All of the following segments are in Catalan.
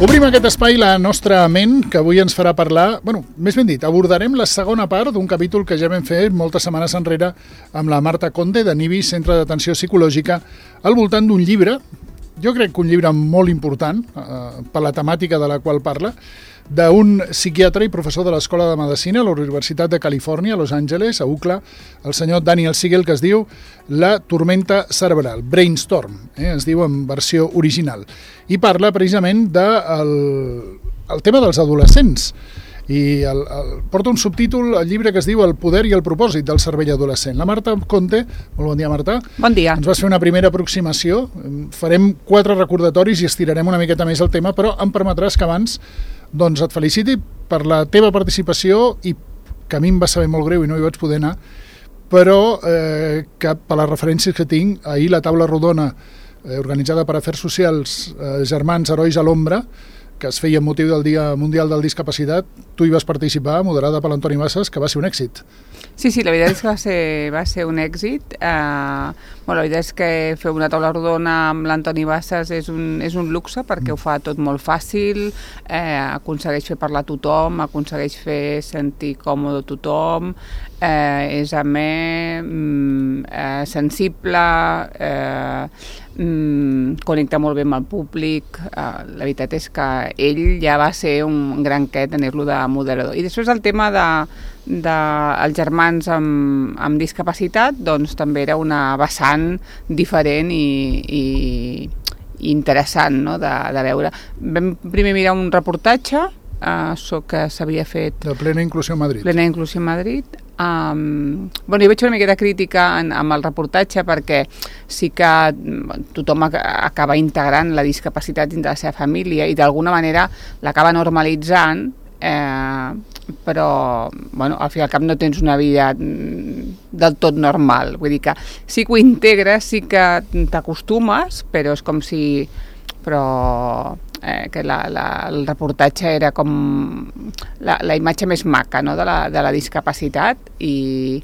Obrim aquest espai la nostra ment, que avui ens farà parlar, més ben dit, abordarem la segona part d'un capítol que ja vam fer moltes setmanes enrere amb la Marta Conde, de NIBI, Centre d'Atenció Psicològica, al voltant d'un llibre, jo crec que un llibre molt important, per la temàtica de la qual parla, d'un psiquiatre i professor de l'Escola de Medicina a la Universitat de Califòrnia, a Los Angeles, a UCLA, el senyor Daniel Siegel, que es diu La tormenta cerebral, Brainstorm, es diu en versió original, i parla precisament del tema dels adolescents. I porta un subtítol al llibre que es diu El poder i el propòsit del cervell adolescent. La Marta Conte, molt bon dia, Marta. Bon dia. Ens vas fer una primera aproximació, farem 4 recordatoris i estirarem una miqueta més el tema, però em permetràs que abans et feliciti per la teva participació i que a mi em va saber molt greu i no hi vaig poder anar, però que per les referències que tinc, ahir la taula rodona organitzada per Afers Socials, Germans Herois a l'Ombra, que es feia amb motiu del Dia Mundial del Discapacitat, tu hi vas participar, moderada per l'Antoni Bassas, que va ser un èxit. Sí, la veritat és que va ser un èxit. La veritat és que fer una taula rodona amb l'Antoni Bassas és un luxe, perquè ho fa tot molt fàcil, aconsegueix fer parlar a tothom, aconsegueix fer sentir còmode a tothom, és amè, sensible, connecta molt bé amb el públic. La veritat és que ell ja va ser un gran quet tenir-lo de moderador. I després el tema dels germans amb discapacitat, doncs també era una vessant diferent i interessant, no?, de veure. Vam primer mirar un reportatge que s'havia fet... De Plena Inclusió a Madrid. Plena Inclusió a Madrid. Jo vaig fer una miqueta crítica amb el reportatge, perquè sí que tothom acaba integrant la discapacitat dins de la seva família i d'alguna manera l'acaba normalitzant, però al fi i al cap no tens una vida del tot normal. Vull dir que sí que ho integres, sí que t'acostumes, però és com si... que el reportatge era com la imatge més maca, no?, de la discapacitat i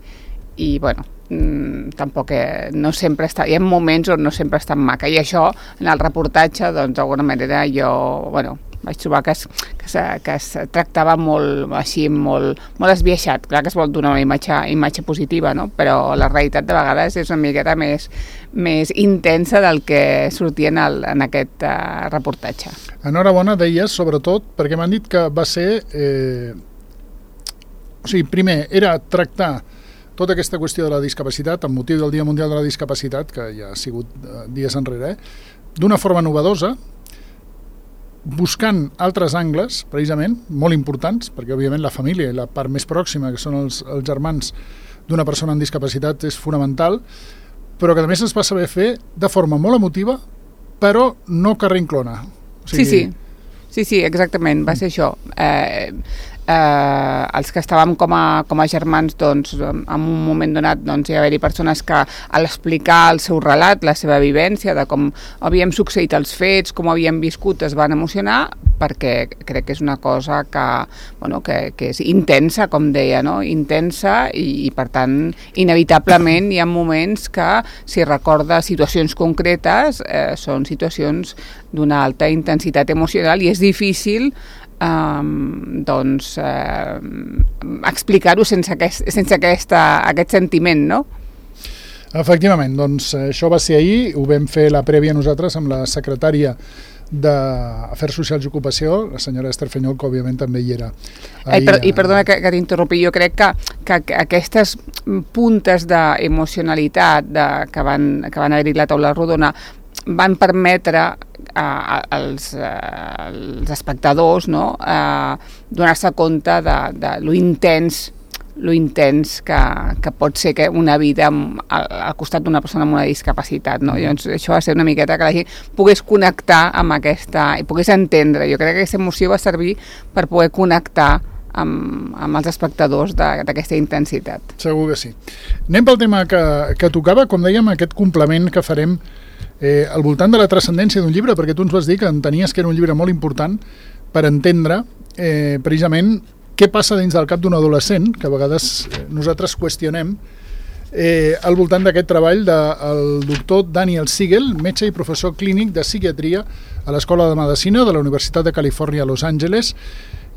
tampoc no sempre està, hi ha moments on no sempre està maca, i això en el reportatge d'alguna manera jo vaig trobar que es tractava molt així, molt esbiaixat. Clar que es vol donar una imatge positiva, no?, però la realitat de vegades és una miqueta més intensa del que sortia en aquest reportatge. Enhorabona, deies, sobretot, perquè m'han dit que va ser... primer, era tractar tota aquesta qüestió de la discapacitat, amb motiu del Dia Mundial de la Discapacitat, que ja ha sigut dies enrere, d'una forma novedosa, buscant altres angles, precisament, molt importants, perquè òbviament la família i la part més pròxima, que són els germans d'una persona amb discapacitat, és fonamental, però que a més es va saber fer de forma molt emotiva, però no que reinclona. Sí, exactament, va ser això. Els que estàvem com a germans, doncs, en un moment donat hi va haver-hi persones que, a l'explicar el seu relat, la seva vivència, de com havien succeït els fets, com havien viscut, es van emocionar, perquè crec que és una cosa que és intensa, com deia, no?, intensa, i per tant, inevitablement hi ha moments que, si recorda situacions concretes, són situacions d'una alta intensitat emocional, i és difícil explicar-ho sense aquest sentiment, no? Efectivament, això va ser ahir, ho vam fer la prèvia nosaltres amb la secretària d'Afers Socials i Ocupació, la senyora Esther Fenyol, que òbviament també hi era. I perdona que t'interrompi, jo crec que aquestes puntes d'emocionalitat que van haver-hi a la taula rodona van permetre als espectadors, no?, donar-se compte de lo intens que pot ser una vida al costat d'una persona amb una discapacitat, no? Llavors, això va ser una miqueta que la gent pogués connectar amb aquesta, i pogués entendre. Jo crec que aquesta emoció va servir per poder connectar amb els espectadors d'aquesta intensitat. Segur que sí. Anem pel tema que tocava, com dèiem, aquest complement que farem al voltant de la transcendència d'un llibre, perquè tu ens vas dir que entenies que era un llibre molt important per entendre precisament què passa dins del cap d'un adolescent, que a vegades nosaltres qüestionem al voltant d'aquest treball del doctor Daniel Siegel, metge i professor clínic de psiquiatria a l'Escola de Medicina de la Universitat de Califòrnia a Los Angeles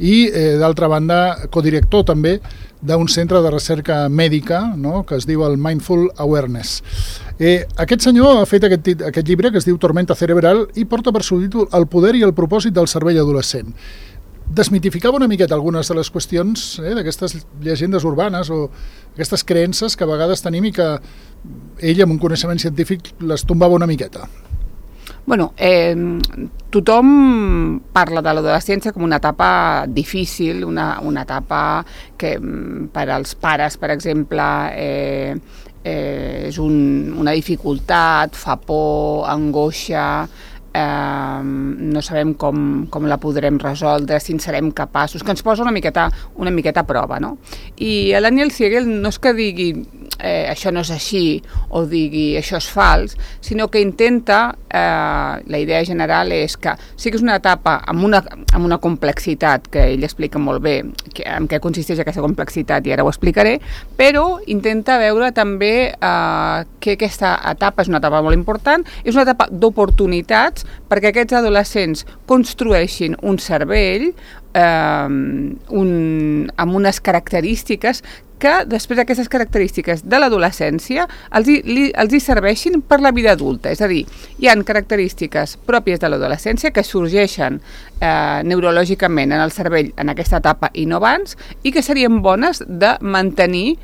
i, d'altra banda, codirector també d'un centre de recerca mèdica, no?, que es diu el Mindful Awareness. Aquest senyor ha fet aquest llibre que es diu Tormenta Cerebral i porta per subtítol El poder i el propòsit del cervell adolescent. Desmitificava una miqueta algunes de les qüestions d'aquestes llegendes urbanes o aquestes creences que a vegades tenim i que ell, amb un coneixement científic, les tombava una miqueta. Bueno, tothom parla de l'adolescència com una etapa difícil, una etapa que per als pares, per exemple, és una dificultat, fa por, angoixa, no sabem com la podrem resoldre, si en serem capaços, que ens posa una miqueta a prova, no? I el Daniel Siegel no és que digui això no és així o digui això és fals, sinó que intenta, la idea general és que sí que és una etapa amb una complexitat que ell explica molt bé en què consisteix aquesta complexitat i ara ho explicaré, però intenta veure també que aquesta etapa és una etapa molt important, és una etapa d'oportunitats perquè aquests adolescents construeixin un cervell amb unes característiques que després aquestes característiques de l'adolescència els hi serveixin per la vida adulta. És a dir, hi ha característiques pròpies de l'adolescència que sorgeixen neurològicament en el cervell en aquesta etapa i no abans i que serien bones de mantenir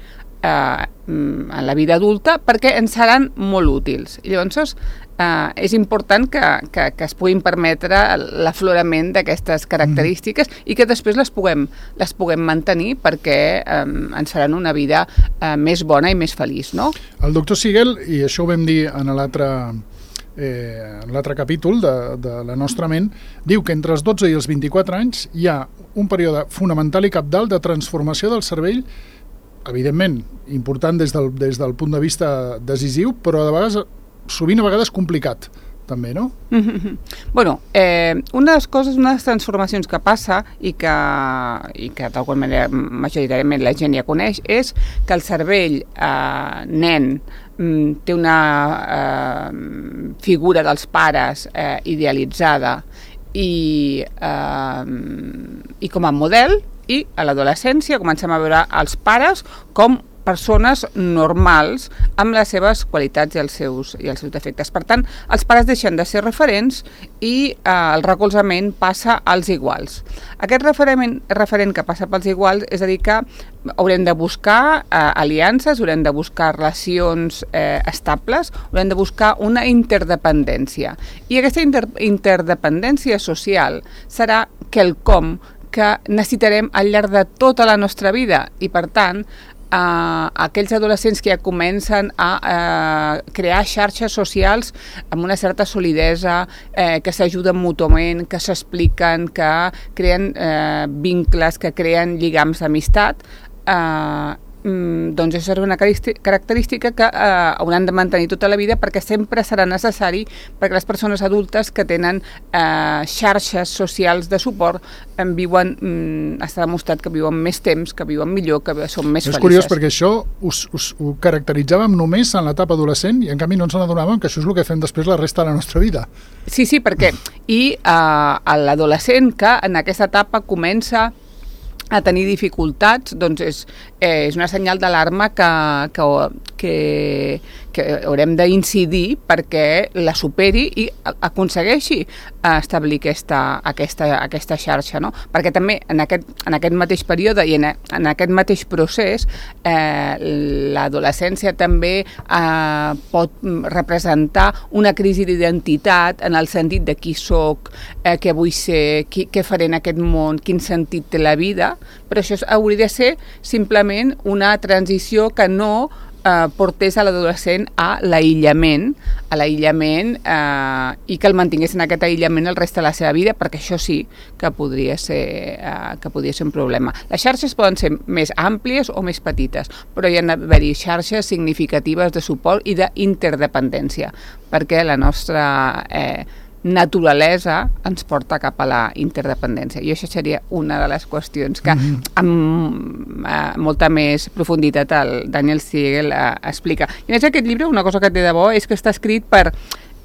en la vida adulta perquè ens seran molt útils. I llavors és important que es puguin permetre l'aflorament d'aquestes característiques i que després les puguem mantenir perquè ens faran una vida més bona i més feliç, no? El doctor Siegel, i això ho vam dir en l'altre capítol de La nostra ment, diu que entre els 12 i els 24 anys hi ha un període fonamental i cabdal de transformació del cervell, evidentment important des del punt de vista decisiu, però sovint a vegades complicat, també, no? Bueno, una de les transformacions que passa i que d'alguna manera majoritàriament la gent ja coneix és que el cervell nen té una figura dels pares idealitzada i com a model, i a l'adolescència comencem a veure els pares com persones normals amb les seves qualitats i els seus defectes. Per tant, els pares deixen de ser referents i el recolzament passa als iguals. Aquest referent que passa pels iguals és a dir que haurem de buscar aliances, haurem de buscar relacions estables, haurem de buscar una interdependència. I aquesta interdependència social serà quelcom que necessitarem al llarg de tota la nostra vida i, per tant, aquells adolescents que ja comencen a crear xarxes socials amb una certa solidesa, que s'ajuden mútuament, que s'expliquen, que creen vincles, que creen lligams d'amistat, doncs això serà una característica que hauran de mantenir tota la vida perquè sempre serà necessari perquè les persones adultes que tenen xarxes socials de suport està demostrat que viuen més temps, que viuen millor, que són més felices. És curiós perquè això ho caracteritzàvem només en l'etapa adolescent i en canvi no ens n'adonàvem que això és el que fem després la resta de la nostra vida. Sí, perquè l'adolescent que en aquesta etapa comença a tenir dificultats, doncs és una senyal d'alarma que haurem d'incidir perquè la superi i aconsegueixi establir aquesta xarxa, no? Perquè també en aquest mateix període i en aquest mateix procés l'adolescència també pot representar una crisi d'identitat en el sentit de qui soc, què vull ser, què faré en aquest món, quin sentit té la vida, però això hauria de ser simplement una transició que no portés a l'adolescent a l'aïllament i que el mantingués en aquest aïllament el reste de la seva vida, perquè això sí que podria ser un problema. Les xarxes poden ser més àmplies o més petites, però hi ha d'haver-hi xarxes significatives de suport i d'interdependència, perquè la nostra naturalesa ens porta cap a la interdependència. I això seria una de les qüestions que amb molta més profunditat el Daniel Siegel explica. I a més aquest llibre, una cosa que té de bo és que està escrit per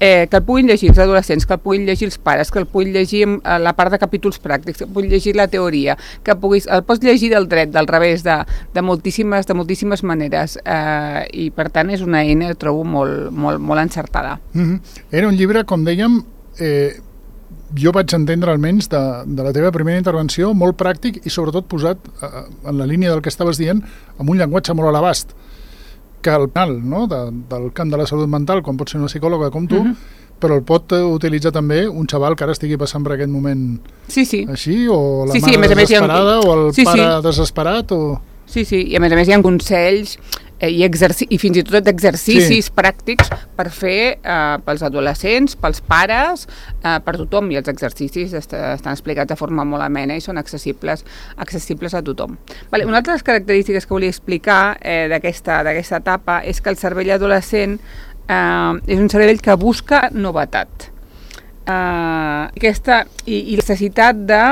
que el puguin llegir els adolescents, que el puguin llegir els pares, que el puguin llegir la part de capítols pràctics, que el puguin llegir la teoria, que el pots llegir del dret, del revés, de moltíssimes maneres. I per tant és una eina, trobo, molt encertada. Era un llibre, com dèiem, jo vaig entendre almenys de la teva primera intervenció, molt pràctic i sobretot posat en la línia del que estaves dient, amb un llenguatge molt a l'abast, que el penal, no? Del camp de la salut mental, com pot ser una psicòloga com tu, però el pot utilitzar també un xaval que ara estigui passant per aquest moment així, o la mare desesperada, o el pare desesperat, o... Sí, i a més hi ha consells i fins i tot exercicis pràctics per fer pels adolescents, pels pares, per tothom, i els exercicis estan explicats de forma molt amena i són accessibles a tothom. Una altra de les característiques que volia explicar d'aquesta etapa és que el cervell adolescent és un cervell que busca novetat. I necessitat de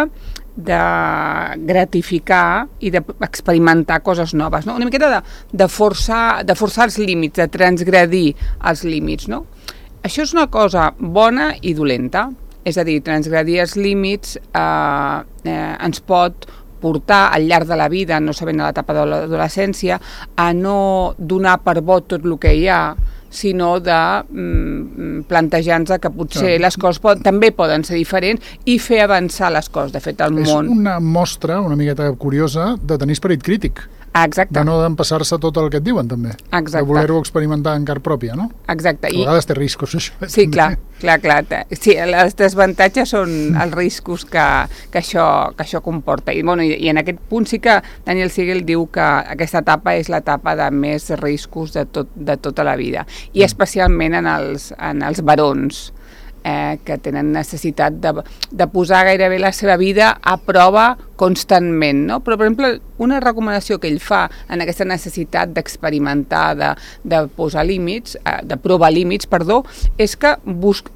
gratificar i d'experimentar coses noves, no? Una miqueta de forçar els límits, de transgredir els límits, no? Això és una cosa bona i dolenta, és a dir, transgredir els límits ens pot portar al llarg de la vida, no sabent a l'etapa de l'adolescència, a no donar per bo tot el que hi ha, sinó de plantejar-nos que potser les coses també poden ser diferents i fer avançar les coses. De fet, el món... És una mostra una miqueta curiosa de tenir esperit crític. Exacte. De no d'empassar-se tot el que et diuen, també. Exacte. De voler-ho experimentar en car pròpia, no? Exacte. A vegades té riscos, això. Sí, clar. Sí, els desavantatges són els riscos que això comporta. I en aquest punt sí que Daniel Siegel diu que aquesta etapa és l'etapa de més riscos de tota la vida. I especialment en els barons, que tenen necessitat de posar gairebé la seva vida a prova constantment, no? Però, per exemple, una recomanació que ell fa en aquesta necessitat d'experimentar, de posar límits, de provar límits, és que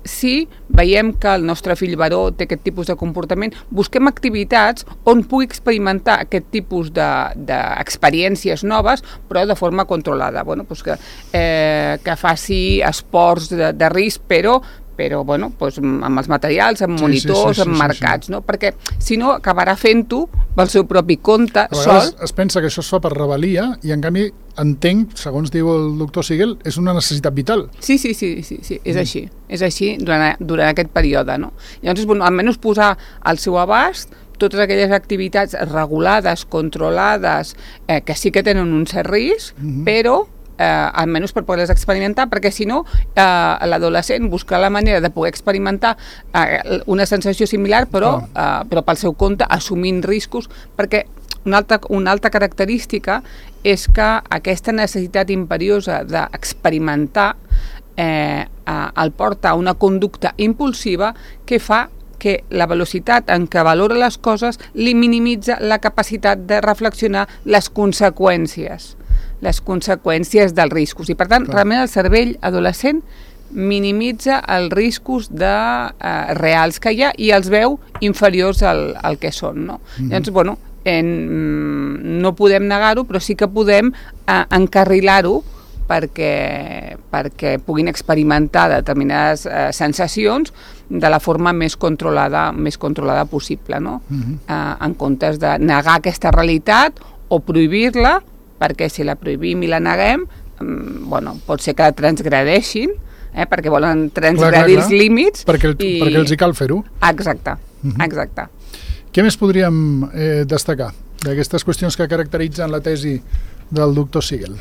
si veiem que el nostre fill baró té aquest tipus de comportament, busquem activitats on pugui experimentar aquest tipus d'experiències noves, però de forma controlada. Que faci esports de risc, però amb els materials, amb monitors, amb marcats, no? Perquè si no acabarà fent-ho pel seu propi compte, sol. Es pensa que això es fa per rebel·lia i en canvi entenc, segons diu el doctor Siegel, és una necessitat vital. Sí, és així. És així durant aquest període, no? Llavors, almenys posar al seu abast totes aquelles activitats regulades, controlades, que sí que tenen un cert risc, però almenys per poder-les experimentar, perquè si no l'adolescent busca la manera de poder experimentar una sensació similar però pel seu compte, assumint riscos, perquè una altra característica és que aquesta necessitat imperiosa d'experimentar el porta a una conducta impulsiva que fa que la velocitat en què valora les coses li minimitza la capacitat de reflexionar les conseqüències dels riscos. I, per tant, realment el cervell adolescent minimitza els riscos reals que hi ha i els veu inferiors al que són, no? Llavors, no podem negar-ho, però sí que podem encarrilar-ho perquè puguin experimentar determinades sensacions de la forma més controlada possible, no? En comptes de negar aquesta realitat o prohibir-la, perquè si la prohibim i la neguem, pot ser que la transgredeixin, perquè volen transgredir els límits. Perquè els hi cal fer-ho. Exacte. Què més podríem destacar d'aquestes qüestions que caracteritzen la tesi del doctor Siegel?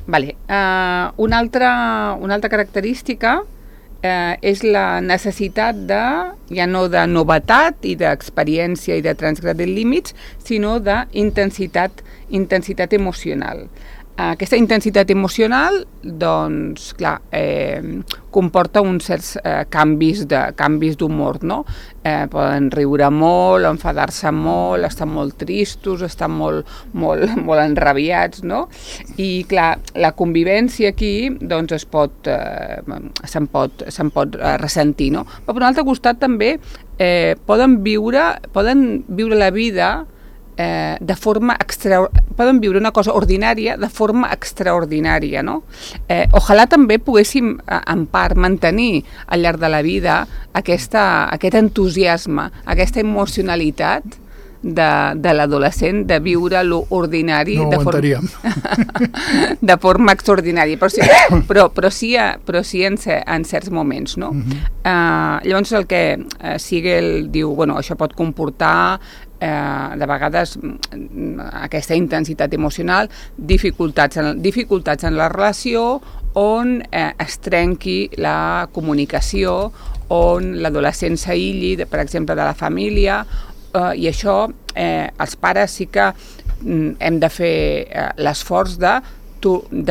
Una altra característica és la necessitat ja no de novetat i d'experiència i de transgredir límits, sinó d'intensitat emocional. Aquesta intensitat emocional, doncs, clar, comporta uns certs canvis d'humor, no? Poden riure molt, enfadar-se molt, estar molt tristos, estar molt enrabiats, no? I, clar, la convivència aquí, doncs, se'n pot ressentir, no? Però, per un altre costat, també poden viure la vida poden viure una cosa ordinària de forma extraordinària, no? Ojalà també poguéssim en part mantenir al llarg de la vida aquest entusiasme, aquesta emocionalitat de l'adolescent, de viure l'ordinari de forma extraordinària, però sí en certs moments, no? Llavors el que Siegel diu, bueno, això pot comportar de vegades aquesta intensitat emocional, dificultats en la relació, on es trenqui la comunicació, on l'adolescent s'aïlli, per exemple, de la família, i això els pares sí que hem de fer l'esforç de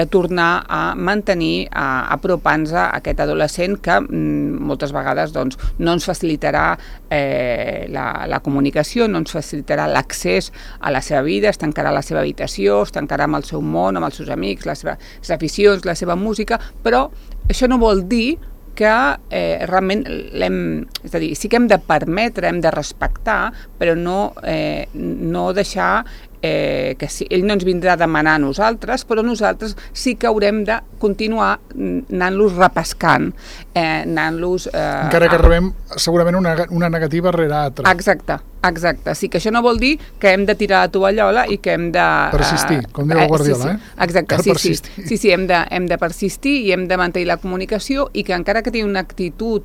tornar a mantenir, apropant-nos a aquest adolescent que moltes vegades doncs, no ens facilitarà la comunicació, no ens facilitarà l'accés a la seva vida, es tancarà a la seva habitació, es tancarà amb el seu món, amb els seus amics, les seves aficions, la seva música, però això no vol dir que realment és a dir, sí que hem de permetre, hem de respectar, però no deixar que ell no ens vindrà a demanar a nosaltres, però nosaltres sí que haurem de continuar anant-los repescant, anant-los... Encara que rebem segurament una negativa rere altra. Exacte. Sí que això no vol dir que hem de tirar la tovallola i que hem de... Persistir, com diu el Guardiola, Exacte, sí, hem de persistir i hem de mantenir la comunicació i que encara que tingui una actitud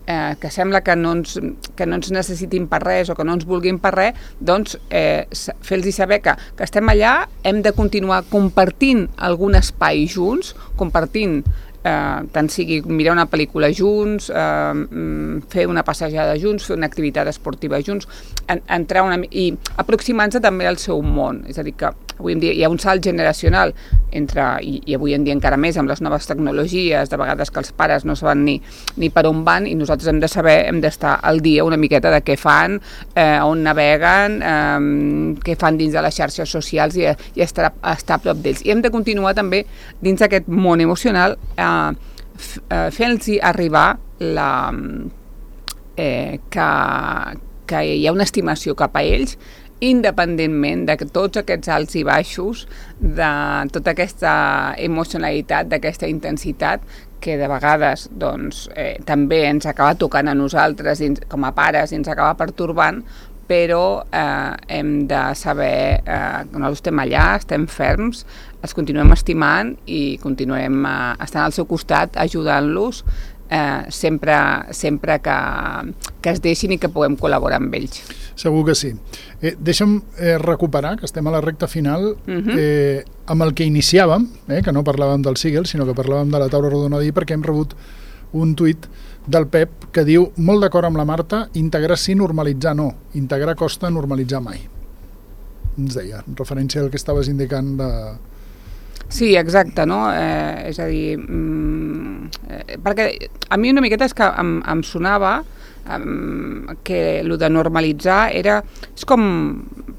que sembla que no ens necessitin per res o que no ens vulguin per res, doncs fer-los saber que estem allà, hem de continuar compartint algun espai junts, compartint tant sigui mirar una pel·lícula junts, fer una passejada junts, fer una activitat esportiva junts, entrar i aproximar-nos també al seu món. És a dir, que avui en dia hi ha un salt generacional i avui en dia encara més amb les noves tecnologies, de vegades que els pares no saben ni per on van, i nosaltres hem de saber, hem d'estar al dia una miqueta de què fan, on naveguen, què fan dins de les xarxes socials i estar a prop d'ells. I hem de continuar també dins d'aquest món emocional fent-los arribar que hi ha una estimació cap a ells, independentment de tots aquests alts i baixos, de tota aquesta emocionalitat, d'aquesta intensitat que de vegades doncs, també ens acaba tocant a nosaltres com a pares i ens acaba pertorbant, però hem de saber que nosaltres estem allà, estem ferms, els continuem estimant i continuem estant al seu costat, ajudant-los sempre que es deixin i que puguem col·laborar amb ells. Segur que sí. Deixa'm recuperar, que estem a la recta final, amb el que iniciàvem, que no parlàvem del Siegel, sinó que parlàvem de la taula rodona d'ahir, perquè hem rebut un tuit del Pep que diu, molt d'acord amb la Marta, integrar sí, normalitzar no. Integrar costa, normalitzar mai. Ens deia, en referència al que estaves indicant de... Sí, exacte, no? És a dir, perquè a mi una miqueta és que em sonava que el de normalitzar és com,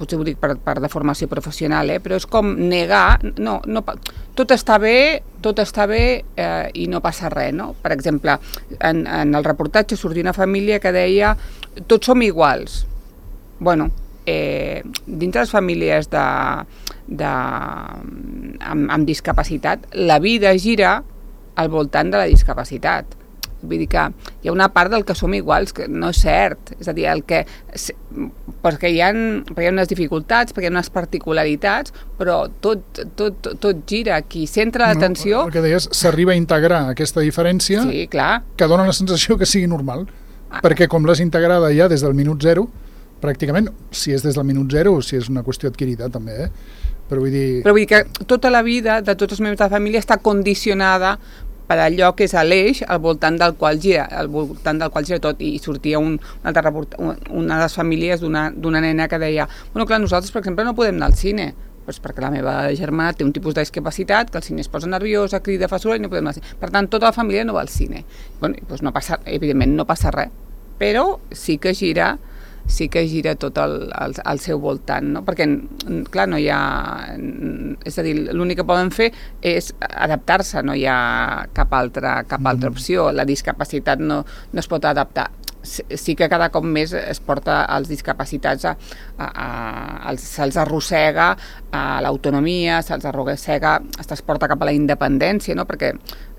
potser ho dic per deformació professional, però és com negar, no, tot està bé i no passa res, no? Per exemple, en el reportatge sortia una família que deia tots som iguals. Bueno, dintre les famílies amb discapacitat, la vida gira al voltant de la discapacitat. Vull dir que hi ha una part del que som iguals que no és cert, és a dir, perquè hi ha unes dificultats, perquè hi ha unes particularitats, però tot gira. Qui centra l'atenció... El que deies, s'arriba a integrar aquesta diferència, sí, clar, que dona la sensació que sigui normal, perquè com l'has integrada ja des del minut zero, pràcticament, si és des del minut zero, si és una qüestió adquirida també, Però vull dir que tota la vida de tots els membres de la família està condicionada per allò que és l'eix al voltant del qual gira tot, i sortia una de les famílies d'una nena que deia, bueno, clar, nosaltres, per exemple, no podem anar al cine, Doncs perquè la meva germana té un tipus de discapacitat que el cine es posa nerviosa, crida, fa soroll i no podem anar al cine. Per tant, tota la família no va al cine. Bueno, doncs no passa, evidentment no passa res, però sí que gira tot al seu voltant, no? Perquè, clar, no hi ha... És a dir, l'únic que poden fer és adaptar-se, no hi ha cap altra opció. La discapacitat no es pot adaptar. Sí que cada cop més es porta als discapacitats, se'ls arrossega a l'autonomia, se'ls arrossega, es porta cap a la independència, no? Perquè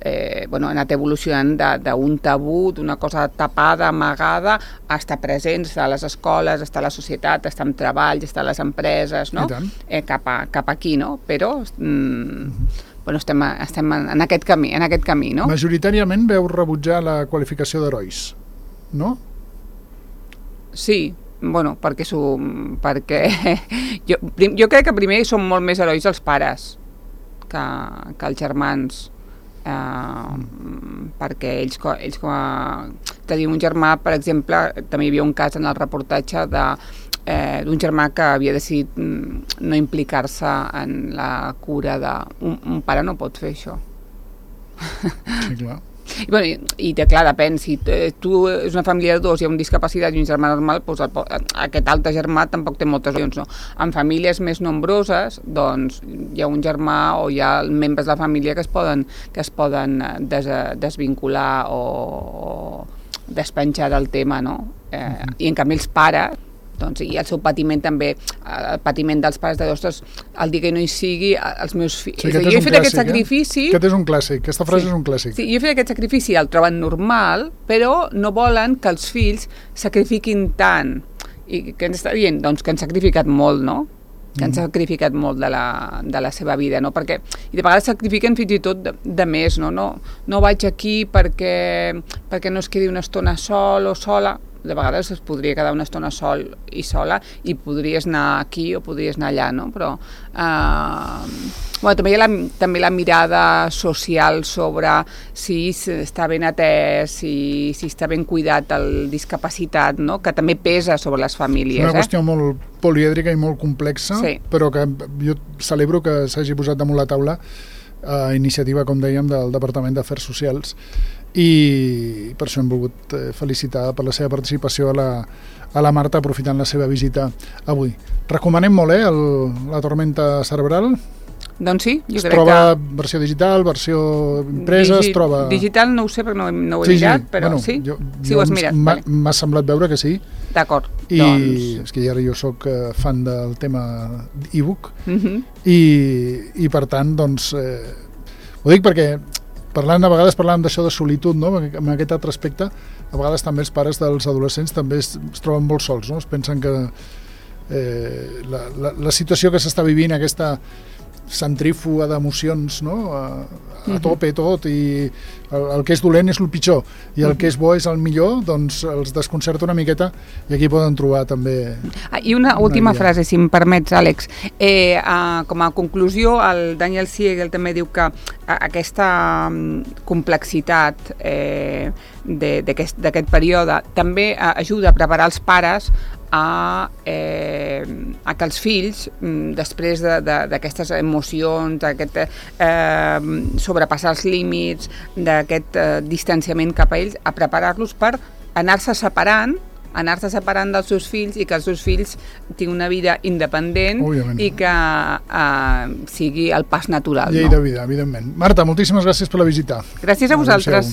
han anat evolucionant d'un tabú, d'una cosa tapada, amagada, a estar presents, estar a les escoles, estar a la societat, estar en treball, estar a les empreses, no? Cap aquí, no? Però estem en aquest camí, no? Majoritàriament veu rebutjar la qualificació d'herois, no? Sí, bueno, perquè jo crec que primer són molt més herois els pares que els germans, perquè ells com a... Tenim un germà, per exemple, també hi havia un cas en el reportatge d'un germà que havia decidit no implicar-se en la cura un pare no pot fer això. Sí, clar. I clar, depèn, si tu és una família de dos i hi ha un discapacitat i un germà normal, doncs aquest altre germà tampoc té moltes opcions, no? En famílies més nombroses, doncs hi ha un germà o hi ha membres de la família que es poden desvincular o despenjar del tema, no? I en canvi els pares, doncs, i el seu patiment també, el patiment dels pares de ostres, el dia que no hi sigui, els meus fills... Sí, jo he fet aquest sacrifici... Aquest és un clàssic, aquesta frase és un clàssic. Sí, jo he fet aquest sacrifici, el troben normal, però no volen que els fills sacrifiquin tant. I què ens està dient? Doncs que han sacrificat molt, no? Que han sacrificat molt de la seva vida, no? I de vegades sacrifiquen fins i tot de més, no? No vaig aquí perquè no es quedi una estona sol o sola. De vegades es podria quedar una estona sol i sola i podries anar aquí o podries anar allà, no? Però també hi ha també la mirada social sobre si està ben atès, si està ben cuidat el discapacitat, no? Que també pesa sobre les famílies. És una qüestió molt polièdrica i molt complexa, sí. Però que jo celebro que s'hagi posat damunt la taula a iniciativa, com dèiem, del Departament d'Afers Socials, i per això hem volgut felicitar per la seva participació a la Marta, aprofitant la seva visita avui. Recomanem molt, la Tormenta Cerebral? Doncs sí, jo crec que... Es troba versió digital, versió impresa, es troba... Digital no ho sé perquè no ho he mirat, però bueno, sí? Sí ho has mirat. M'ha semblat veure que sí. D'acord, doncs... És que ara jo soc fan del tema e-book i per tant, doncs... Ho dic perquè a vegades parlàvem d'això de solitud, no? En aquest altre aspecte, a vegades també els pares dels adolescents també es troben molt sols, no? Es pensen que la situació que s'està vivint, aquesta centrífuga d'emocions, no? A tope tot, i el que és dolent és el pitjor i el que és bo és el millor, doncs els desconcerta una miqueta i aquí poden trobar també... I una última frase, si em permets, Àlex. Com a conclusió, el Daniel Siegel també diu que aquesta complexitat d'aquest període també ajuda a preparar els pares a que els fills, després d'aquestes emocions, d'aquest sobrepassar els límits, d'aquest distanciament cap a ells, a preparar-los per anar-se separant dels seus fills i que els seus fills tinguin una vida independent. Òbviament. I que sigui el pas natural. Llei de vida, evidentment. Marta, moltíssimes gràcies per la visita. Gràcies a vosaltres.